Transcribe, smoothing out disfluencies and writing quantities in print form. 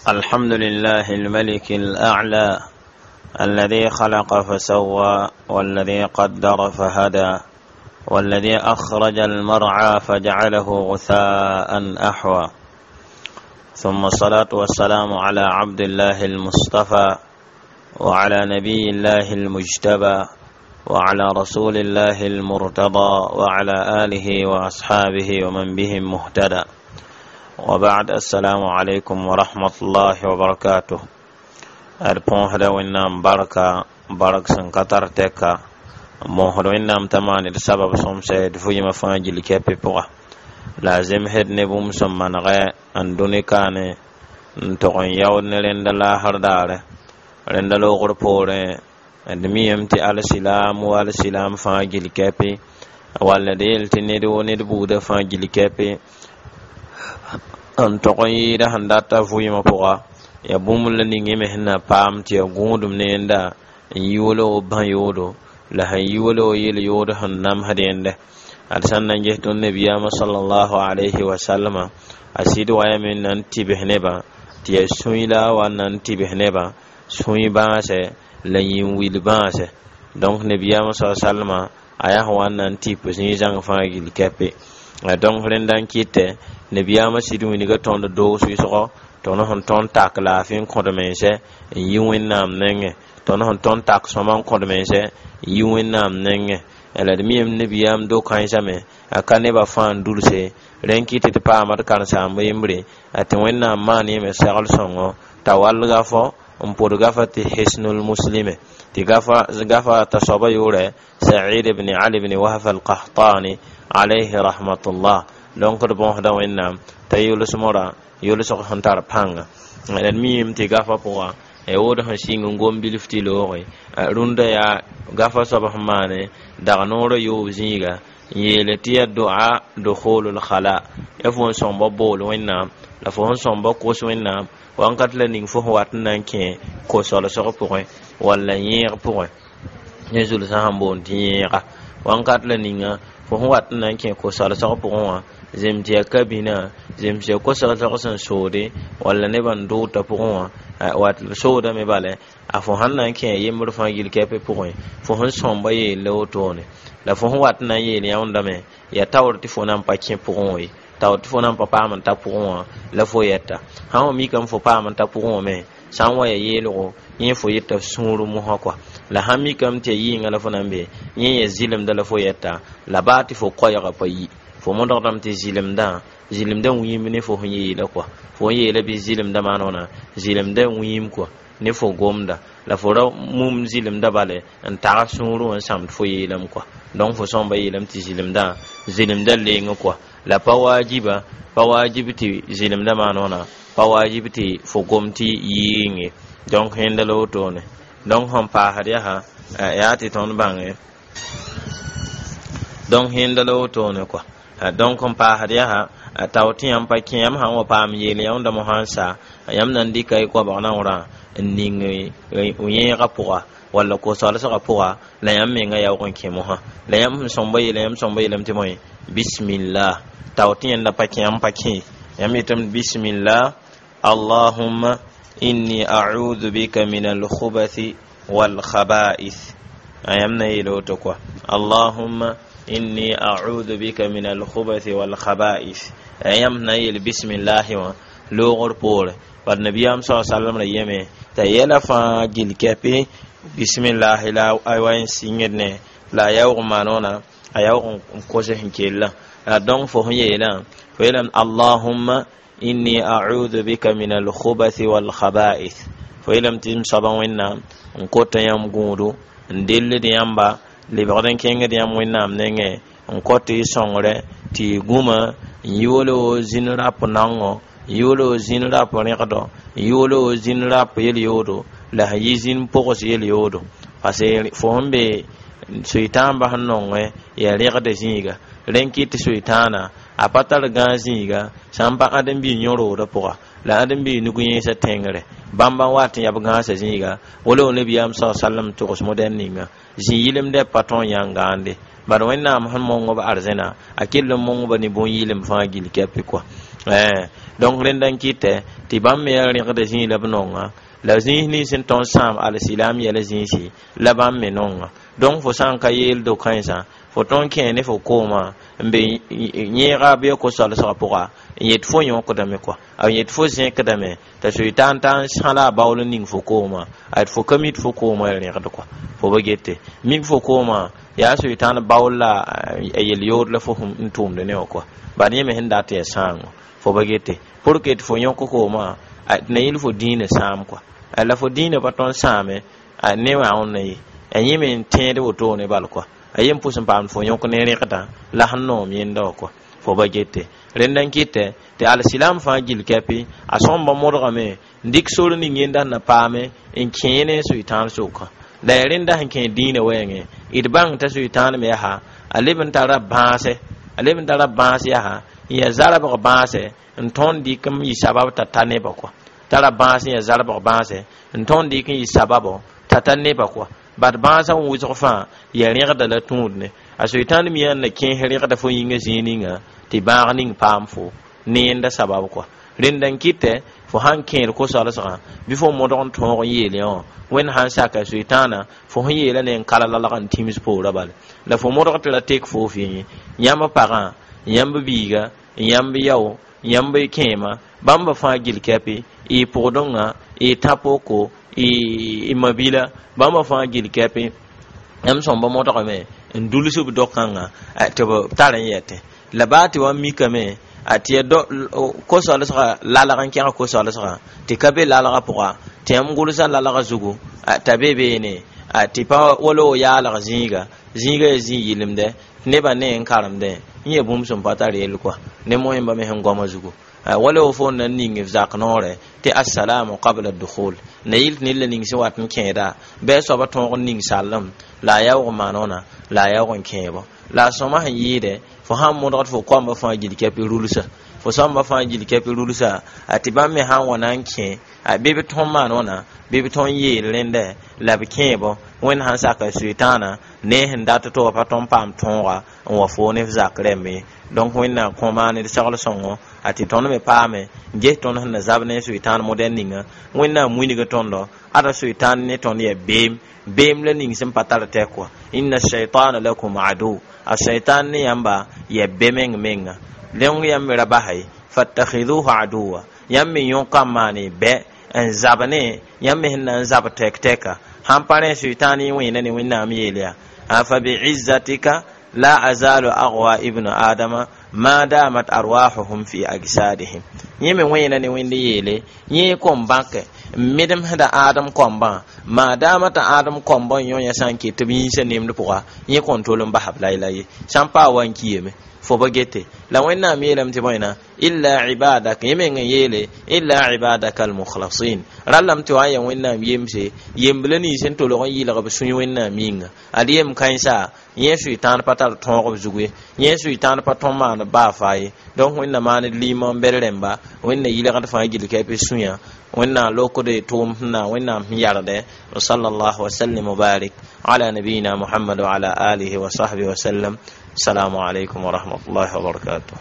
الحمد لله الملك الأعلى الذي خلق فسوى والذي قدر فهدى والذي أخرج المرعى فجعله غثاء أحوى. ثم الصلاة والسلام على عبد الله المصطفى وعلى نبي الله المجتبى وعلى رسول الله المرتضى وعلى آله وأصحابه ومن بهم مهتدى. وبعد، السلام عليكم ورحمة الله وبركاته. D põosda Wẽnnaam barka, bark sẽn ka tar tɛka. N bõosd Wẽnnaam t'a maan d sabab sõmsɛ d vɩɩmã fãa gill kɛpɩ pʋga, la a zemsd ne bũmb sẽn manegɛ n dũni kaane n tog n yaood ne rẽnda laasr daare rẽnda loogr poorẽ. D miyame tɩ alsilaam wa alsilaam fãa gill kɛpɩ, walla d yeel tɩ ned wo ned buudã fãa gill kɛpɩ n tog n yɩɩda sẽn data vɩɩmã pʋga. Ya bũmb la ning y me sẽn na paam tɩ ya gũudum ne yẽnda n yi wala wo bã yoodo la sẽn yi wala wo yel-yood sẽn namsd yẽnde. Ad sẽn na n ges tõnd nabiyaamã sallallahu alayhi wa sallama, a sɩd wayame n na n tɩbs nebã tɩ ya sũy la a wa n na n tɩbs nebã sũy bãasɛ la yĩn-wil bãasɛ. Donc nabiyaamã sa sallama a yaa sẽn wa n na n tɩp zĩig zãng fãa gill kɛpe. Donc rẽnda n kɩtɛ nabiyaamã sɩd wilga tõnd doog sʋɩsgɔ, tõnd sẽn tõnd tak laafɩ n kõd mensɛ n yi Wẽnnaam nengẽ, tõnd sẽn tõnd tak sõma n kõd mensɛ n yi Wẽnnaam nengẽ. La d miyame nabiyaam do-kãensame a ka nebã fãa n dulse. Rẽn kɩt tɩ paama d karen-saamba yembre a tɩ Wẽnnaam maan yẽme segl sõngo t'a wall gafɔ n pʋd gafa tɩ Hisnul Muslime, tɩ gafa t'a soaba yʋʋrɛ Said ibn Ali ibn Wahf al-Qahtani alayhi rahmatullah. Donc d bõosda Wẽnnaam t'a yʋlsmora yʋlsg sẽn tar pãnga. D miime tɩ gafa pʋga ya wood sẽn sɩng n gom bilf tɩ looge rũndã yaa gafa soab sẽn maane dag noorã yoob zĩiga n yeele tɩ ya doa dukhulul khala. Ya fo n sõmba bool Wẽnnaam la fo sẽn sõmba kos Wẽnnaam wãnkat la ning fo sẽn wat n na n kẽ ko-solsg pʋgẽ walla yẽeg pʋgẽ ne zulsã sẽn boond tɩ yẽega. Wãnkat la ninga fo sẽn wat n na n kẽ ko-solsg pʋgẽ wã, zem tɩ yaa kabinã, zem tɩ yaa ko-solsg sẽn soode walla nebã n dʋʋta pʋgẽ wã wat soodame bale. A fo sãn na n kẽ yembr fãa gill kɛpɩ pʋgẽ, fo sẽn sõmba yeella wotone la fo sẽn wat n na n yeel yãoondame yaa taoor tɩ fo na n pa kẽ pʋgẽ wã ye, taoor tɩ fo na n pa paam n ta pʋgẽ wã la fo yɛta. Sã n wa mikame fo paam n ta pʋgẽ wã me, sã n wa ya yeelgo yẽ fo yeta sũur mosã kɔa. La sãn mikame tɩ ya yɩɩngã la fo na n be yẽ ya zɩlemda la fo yɛta, la baa tɩ fo koɛɛgã pa yi, fo modgdame tɩ zɩlemdã zɩlemdã wĩim ne fo sẽn yeela kɔa. Fo n yeela bɩ zɩlemdã maan wãna zɩlemdã wĩim kɔa ne fo gomda la fo ra mum zɩlemdã bale n tag sũurẽ wã n sãmd fo yeelame kɔa. Donc fo sõmba yeelame tɩ zɩlemdã zɩlemdã leng kɔa la pa waajiba, pa waajib tɩ zɩlemdã maan wãna, pa waajib tɩ fo gom tɩ yɩɩng ye. Donc yẽnda la wotone. Donc sẽn paasd yaa yaa tɩ tõnd bãnge, donc yẽnda la wotone kɔa. Donc n paasd yaa tao tɩ yãmb pa kẽ, yãmb sãn wa paam yeel yãoonda mosã n sa, yãmb na n dɩka y goabg naoorã n ning yẽegã pʋga walla ko-solsgã pʋga, la yãmb menga yaoog n kẽ mosã la yãmb sẽn sõmba yeela, yãmb sõmba yeelame tɩ bõe bismillah. Tao tɩ yẽnda pa kẽ, yãmb pa kẽ, yãmb yetame bismillah, allahumma inni a'udhu bika min alkhubathi walkhaba'ith. Yãmb na yeela woto kɔa, allahumma inni a'udhu bika min alkhubathi walkhaba'ith. Yãmb na yeel bismillahi wã loogr poore bad nabiyaam sa sallam ra yeme t'a yɛla fãa gill kɛpɩ bismillahi la a wa n sɩngd ne la a yaoog n maan wãna, a yaoog n kos sẽn kellã. Donc fo sẽn yeelã, fo yeelame allahumma inni a'udhu bika min alkhubathi walkhaba'ith. Fo yeelame tɩ m soaba Wẽnnaam, n kota yãmb gũudu, n dellд yãmba lebgd n kẽngd yãmb Wẽnnaam nengẽ, n kõt y sõngre tɩ y gũma n yi wala wo zĩn rap naongo, n yi wala wo zĩn rap rẽgdɔ, n yi wala wo zĩn rap yel-yoodo la sẽn yi zĩn pogs yel-yoodo, parce que fo sẽn be soy-tãambã sẽn nongẽ yaa rẽgda zĩiga. Rẽn kɩt tɩ soy-tãana a pa tar gãag zĩiga sã n pa ãdem-biig yõ-roodã pʋga la ãdem-biig nug yẽesã tẽngre bãmba n wat n yab gãasã zĩiga wala wo nabiyaam sa sallam togs modɛl ninga zĩ-yɩlemdɛ pa tõe n yãng gãande. Bad Wẽnnaam sẽn mong b arzẽna, a kell n mong ba ne bõn-yɩlem fãa gill kɛpɩ kɔa. Donc rẽnda n kɩtɛ tɩ bãmb me yaa rẽgda zĩig la b nonga la zĩis nins sẽn tõnd sãam alsilam yɛla zĩisi la bãmb me nonga. Donc fo sã n ka yeel do-kãensã fo tõn kẽ ne fo koomã n be yẽega bɩ ko-solsgã pʋga n yet fo yõkdame kɔa, a yet fo zẽkdame t'a soɩtaan t'a n sãla a baool n ning fo koomã, a fo ka mi tɩ fo koomã ya rẽgd kɔa. Fo ba gete mik fo koomã yaa soɩtãan baool la a yel-yood la fo n tʋʋmd ne wã kɔa, bad yẽ me sẽn dat yaa sãango. Fo ba gete pour que tɩ fo yõk koomã tɩ na yɩl fo dĩinã sãam kɔa, la fo dĩinã pa tõnd sãame ne wã wẽnna ye a yẽ me n tẽed wotone bal kɔa, a yem pʋs n paamd fo yõk ne rẽgdã la sẽn noom yẽnda wã kɔa. Fo ba gete rẽnda n kɩtɛ tɩ alsilam fãa gill kɛpɩ a sõmba modgame n dɩk sor ning yẽnda sẽn na paame n kẽe ne sʋɩtãan sʋkã. La ya rẽnda sẽn kẽ dĩinã wɛɛngẽ d bãng t'a sʋɩtãan me yaa a leb n tara bãase, a leb n tara bãas yaa n yaa zarbg bãase n tõnd dɩk n yɩ sabab t'a ta nebã kɔa, tara bãas n yaa zarbg bãase n tõnd dɩk n yɩ sababo t'a ta nebã kɔa. Bad bãasã n wʋsg fãa yaa rẽgda la tũud ne a soetãan mi yaa n na kẽes rẽgda fo yĩngã zĩig ninga tɩ bãag ning paam fo ne yẽnda sabab kɔa. Rẽnda n kɩtɛ fo sãn kẽed ko-solsgã bɩ fo modg n tõog n yeel yã wã wẽnd sãn saka soetãana fo sẽn yeela ne n kala lalg n tĩms poorã bala la fo modg tɩ ra tek fo fɩ ye yãmb pagã, yãmb biiga, yãmb yao, yãmb kẽema bãmba fãa gill kɛpɩ y pʋgdõngã, y tã-poko, y mabila bãmba fãa gill kɛpɩ yãmb sõmba modgame n duls b do-kãngã tɩ b tar n yɛtẽ la baa tɩ wa mikame a tɩ ya ko-solsgã lalg n kẽg ko-solsgã tɩ ka be lalgã pʋga tɩ yãmb gʋlsã lalgã zugu t'a be beene tɩ pa wala wo yaalg zĩiga zĩiga yaa zĩig yɩlemdɛ tɩ nebã ne n karemdẽ n yaa bũmb sẽn pa tar yell kɔa ne moẽmba me sẽn goamã zugu wala wo fo n na n ning f zak noorɛ tɩ assalamu qabla dukhul na yɩl tɩ ned la ning sẽn wat n kẽeda bɩ a soaba tõog n ning sallem la a yaoog n maan wãna la a yaoog n kẽebo la a sõma sẽn yɩɩdɛ fo sãn modgd fo koamba fãa gill kɛpɩ rulsa fo sõmba fãa gill kɛpɩ rulsa a tɩ bãmb me sãn wa na n kẽ a bɩ b tõn maan wãna bɩ b tõn yeel rẽndɛ la b kẽebo wẽnd sãn saka sʋɩtãana ne sẽn dat tɩ wa pa tõn paam tõoga n wa foo ne f zak rẽmbe. Donc wẽnnaam kõ maan d segl sõngo a tɩ tõnd me paame n ges tõnd sẽn na zab ne sʋɩtãan modɛl ninga wẽnnaam wilg tõndo ada sʋɩtãan ne tõnd yaa beem beem la ning sẽn pa tar tɛk wã inna shaitana lakum adu a shaitan ne yãmba yaa be meng menga leng yãmb me ra basa ye fattakhidhuhu aduwa yãmb me yõka n maane bɛ n zab ne yãmb me sẽn na n zab tɛk-tɛka sãn pa rẽ sʋɩtãan yẽ wẽena ne wẽnnaam yeel yaa fa biizzatika la azalu aghwa ibnu adama ma damat arwahuhum fi agsadihim yẽ me wẽena ne wẽnd yeele yẽ kom bãke n medemsda ãadem kɔmbã maadaama t'a ãadem kɔmbã n yõ yã sã n ket tɩ b yĩnsã nemd pʋga yẽ kõn tol n basb layla ye sã n paa wa n kiyame fo ba gete la wẽnnaam yeelame tɩ bõena illa ibadaka yẽ meng n yeele illa ibadaka almukhlasin rallame tɩ wa n yaa wẽnnaam yemse yembla nins sẽn tolg n yɩlg b sũy wẽnnaam yĩnga ad yem kãensa yẽ sʋɩtãan pa tar tõog b zugu ye yẽ sʋɩtãan pa tõn maan baa faa ye. Donc wẽnna maan d liimã n bɛd rẽmba wẽnna yɩlgd fãa gill kɛpɩ sũyã wẽnnaam lokd tʋʋm sẽn na wẽnnaam sẽn yardɛ wa sallallahu wa sallim wa barik ala nabiyina muhammad wa ala alihi wa sahbihi wa sallam. Assalamu alaikum wa rahmatullahi wa barakatuh.